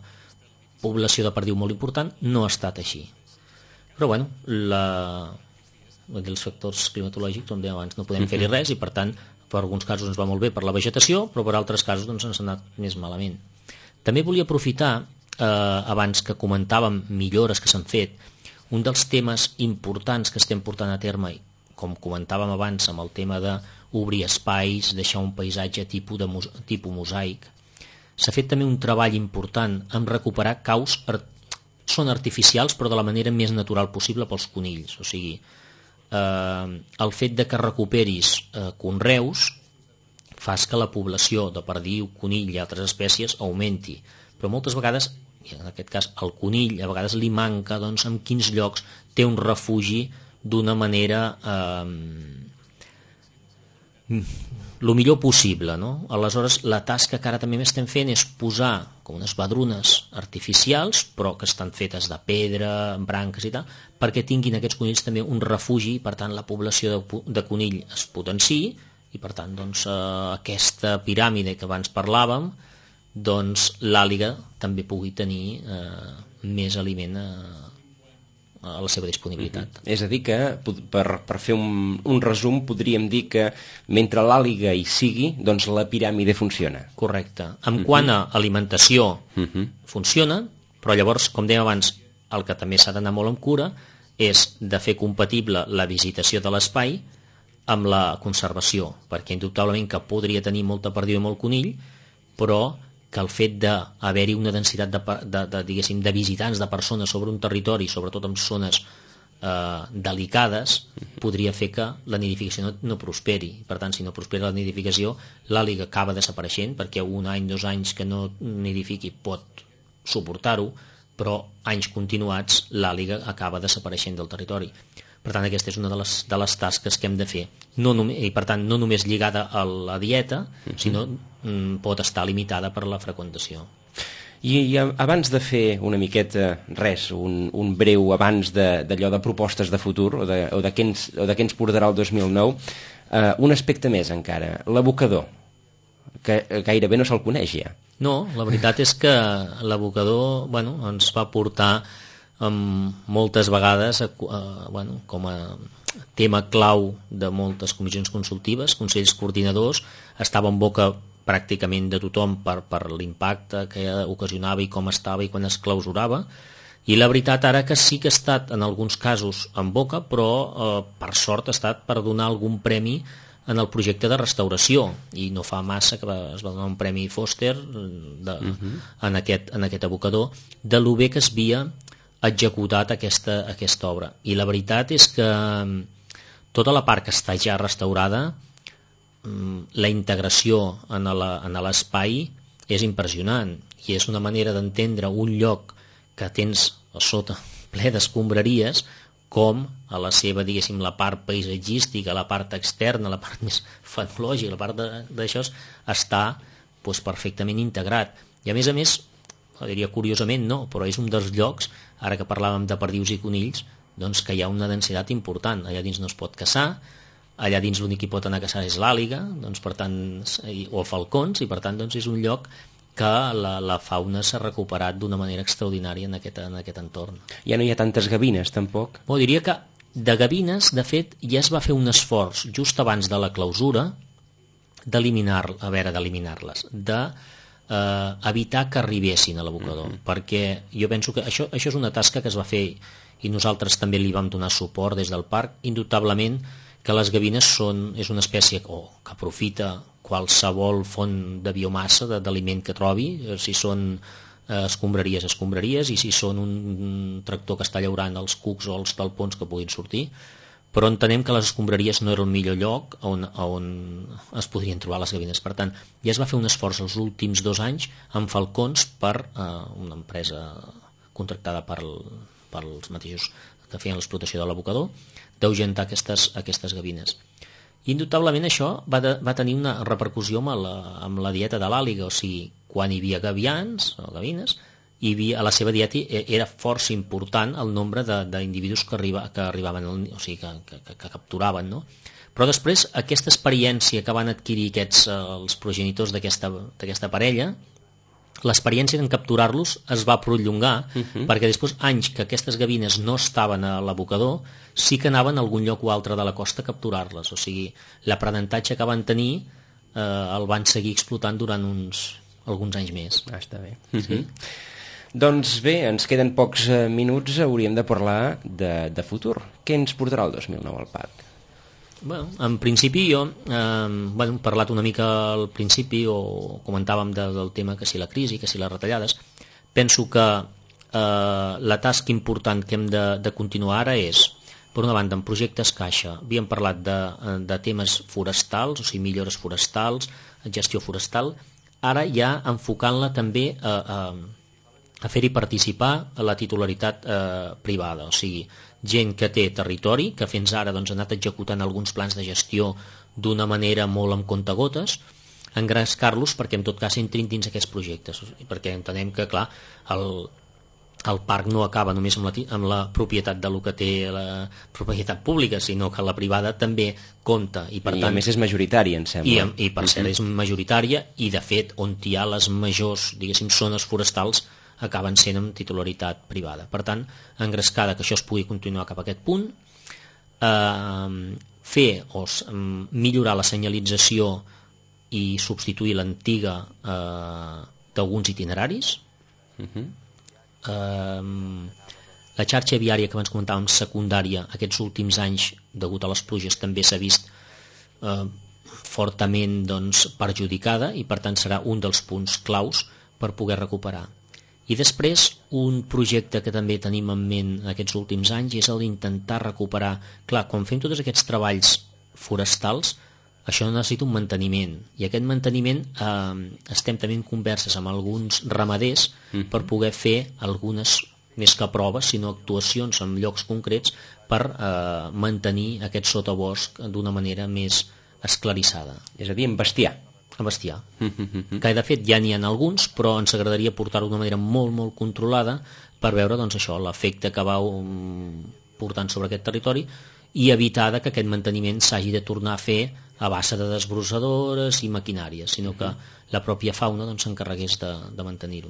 població de perdiu molt important, no ha estat així. Però bueno, la... els factors climatològics, com dèiem abans, no podem fer-hi res, i per tant, per alguns casos ens va molt bé per la vegetació, però per altres casos doncs, ens ha anat més malament. També volia aprofitar, eh, abans que comentàvem millores que s'han fet, un dels temes importants que estem portant a terme, com comentàvem abans amb el tema d'obrir espais, deixar un paisatge tipus, de mos tipus mosaic. S'ha fet també un treball important en recuperar caus, art són artificials però de la manera més natural possible pels conills. O sigui, eh, el fet de que recuperis eh, conreus fas que la població de perdiu, conill i altres espècies augmenti. Però moltes vegades, i en aquest cas el conill, a vegades li manca doncs, en quins llocs té un refugi d'una manera eh, el millor possible, no? Aleshores, la tasca que ara també estem fent és posar com unes badrunes artificials, però que estan fetes de pedra, branques i tal, perquè tinguin aquests conills també un refugi, i per tant la població de, de conill es potenciï, i per tant doncs, eh, aquesta piràmide que abans parlàvem, doncs l'àliga també pugui tenir eh, més aliment a eh, a la seva disponibilitat. Uh-huh. És a dir que, per, per fer un, un resum, podríem dir que mentre l'àliga hi sigui, doncs la piràmide funciona. Correcte. En uh-huh. quant a alimentació uh-huh. funciona, però llavors, com dèiem abans, el que també s'ha d'anar molt amb cura és de fer compatible la visitació de l'espai amb la conservació, perquè indubtablement que podria tenir molta perdiu i molt conill, però que el fet d'haver-hi una densitat de, de, de, diguéssim, de visitants, de persones sobre un territori, sobretot en zones eh, delicades, podria fer que la nidificació no, no prosperi. Per tant, si no prospera la nidificació, l'àliga acaba desapareixent, perquè un any, dos anys que no nidifiqui pot suportar-ho, però anys continuats l'àliga acaba desapareixent del territori. Per tant, aquesta és una de les, de les tasques que hem de fer. No només, i per tant, no només lligada a la dieta, uh-huh. sinó mm, pot estar limitada per la freqüentació. I, i abans de fer una miqueta, res, un, un breu abans d'allò de, de propostes de futur, o de, o de, què ens, o de què ens portarà el dos mil nou, eh, un aspecte més encara, l'abocador, que gairebé no se'l coneix ja. No, la veritat és que l'abocador, bueno, ens va portar Um, moltes vegades uh, bueno, com a tema clau de moltes comissions consultives, consells coordinadors, estava en boca pràcticament de tothom per, per l'impacte que ocasionava i com estava i quan es clausurava, i la veritat ara que sí que ha estat en alguns casos en boca, però uh, per sort ha estat per donar algun premi en el projecte de restauració, i no fa massa que es va donar un premi Foster de, uh-huh. en, aquest, en aquest abocador, de lo bé que es havia executat aquesta, aquesta obra. I la veritat és que tota la part que està ja restaurada, la integració en l'espai és impressionant i és una manera d'entendre un lloc que tens a sota ple d'escombraries com a la seva, diguéssim, la part paisatgística, la part externa, la part més fenològica, la part d'això està doncs, perfectament integrat. I a més a més, diria curiosament no, però és un dels llocs, ara que parlàvem de perdius i conills, doncs que hi ha una densitat important. Allà dins no es pot caçar, allà dins l'únic que pot anar a caçar és l'àliga, doncs, per tant, o falcons, i per tant doncs, és un lloc que la, la fauna s'ha recuperat d'una manera extraordinària en aquest, en aquest entorn. Ja no hi ha tantes gavines, tampoc? Bo, diria que de gavines, de fet, ja es va fer un esforç just abans de la clausura d'eliminar, a veure, d'eliminar-les, de eh, evitar que arribessin a l'abocador, mm-hmm. perquè jo penso que això, això és una tasca que es va fer i nosaltres també li vam donar suport des del parc, indubtablement que les gavines són, és una espècie oh, que aprofita qualsevol font de biomassa, d'aliment que trobi, si són eh, escombraries, escombraries, i si són un, un tractor que està llaurant els cucs o els talpons que puguin sortir, però entenem que les escombraries no era el millor lloc on, on es podrien trobar les gavines. Per tant, ja es va fer un esforç els últims dos anys amb falcons per eh, una empresa contractada per, per els mateixos que feien l'explotació de l'abocador, d'ahuyentar aquestes, aquestes gavines. I indubtablement això va, de, va tenir una repercussió amb la, amb la dieta de l'àliga, o sigui, quan hi havia gavians o gavines, hi havia, a la seva dieta era força important el nombre d'individus que, arriba, que arribaven, o sigui, que, que, que, que capturaven, no? Però després aquesta experiència que van adquirir aquests, els progenitors d'aquesta parella, l'experiència en capturar-los es va prolongar, uh-huh. perquè després anys que aquestes gavines no estaven a l'abocador sí que anaven a algun lloc o altre de la costa a capturar-les, o sigui, l'aprenentatge que van tenir eh, el van seguir explotant durant uns, alguns anys més. Ah, està bé. Uh-huh. Sí? Doncs bé, ens queden pocs eh, minuts, hauríem de parlar de, de futur. Què ens portarà el dos mil nou al parc? Bueno, en principi jo eh, bueno, he parlat una mica al principi o comentàvem de, del tema que si la crisi, que si les retallades. Penso que eh, la tasca important que hem de, de continuar ara és, per una banda, en projectes caixa. Havíem parlat de, de temes forestals, o sigui, millores forestals, gestió forestal. Ara ja enfocant-la també a, a, a fer-hi participar a la titularitat eh, privada, o sigui, gent que té territori, que fins ara doncs, ha anat executant alguns plans de gestió d'una manera molt amb comptagotes, engrescar-los perquè en tot cas entrin dins aquests projectes, perquè entenem que clar, el, el parc no acaba només amb la, amb la propietat de lo que té la propietat pública, sinó que la privada també compta. I, per I tant, a més és majoritària, em sembla. I, i per cert és majoritària i de fet on hi ha les majors, diguéssim, zones forestals acaben sent amb titularitat privada. Per tant, engrescada que això es pugui continuar cap a aquest punt, eh, fer o millorar la senyalització i substituir l'antiga eh, d'alguns itineraris, uh-huh. eh, la xarxa viària que abans comentàvem secundària aquests últims anys, degut a les pluges, també s'ha vist eh, fortament doncs, perjudicada i per tant serà un dels punts claus per poder recuperar. I després, un projecte que també tenim en ment aquests últims anys és el d'intentar recuperar... Clar, quan fem tots aquests treballs forestals, això necessita un manteniment. I aquest manteniment eh, estem també en converses amb alguns ramaders mm-hmm. per poder fer algunes, més que proves, sinó actuacions en llocs concrets per eh, mantenir aquest sotabosc d'una manera més esclarissada. És a dir, en bestiar. A bestiar, que de fet ja n'hi ha alguns, però ens agradaria portar-ho d'una manera molt, molt controlada per veure doncs, això, l'efecte que va portant sobre aquest territori i evitar que aquest manteniment s'hagi de tornar a fer a base de desbrossadores i maquinàries, sinó que la pròpia fauna doncs, s'encarregués de, de mantenir-ho.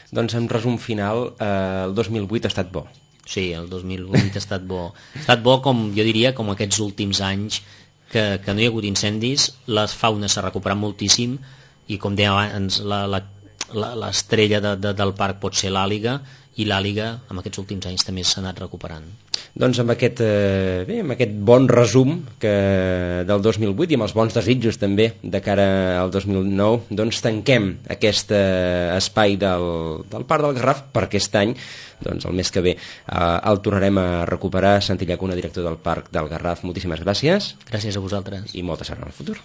Doncs en resum final, eh, el dos mil vuit ha estat bo. Sí, el dos mil vuit ha estat bo. Ha estat bo, com jo diria, com aquests últims anys que, que no hi ha hagut incendis, la fauna s'ha recuperat moltíssim i com deia abans, l'estrella de, de, del parc pot ser l'àliga i l'àliga en aquests últims anys també s'ha anat recuperant. doncs amb aquest, eh, bé, amb aquest bon resum que del dos mil vuit i amb els bons desitjos també de cara al dos mil nou, doncs tanquem aquest eh, espai del, del Parc del Garraf per aquest any. Doncs el mes que ve eh, el tornarem a recuperar. Santi Llacuna, director del Parc del Garraf, moltíssimes gràcies. Gràcies a vosaltres. I molta sort en el futur.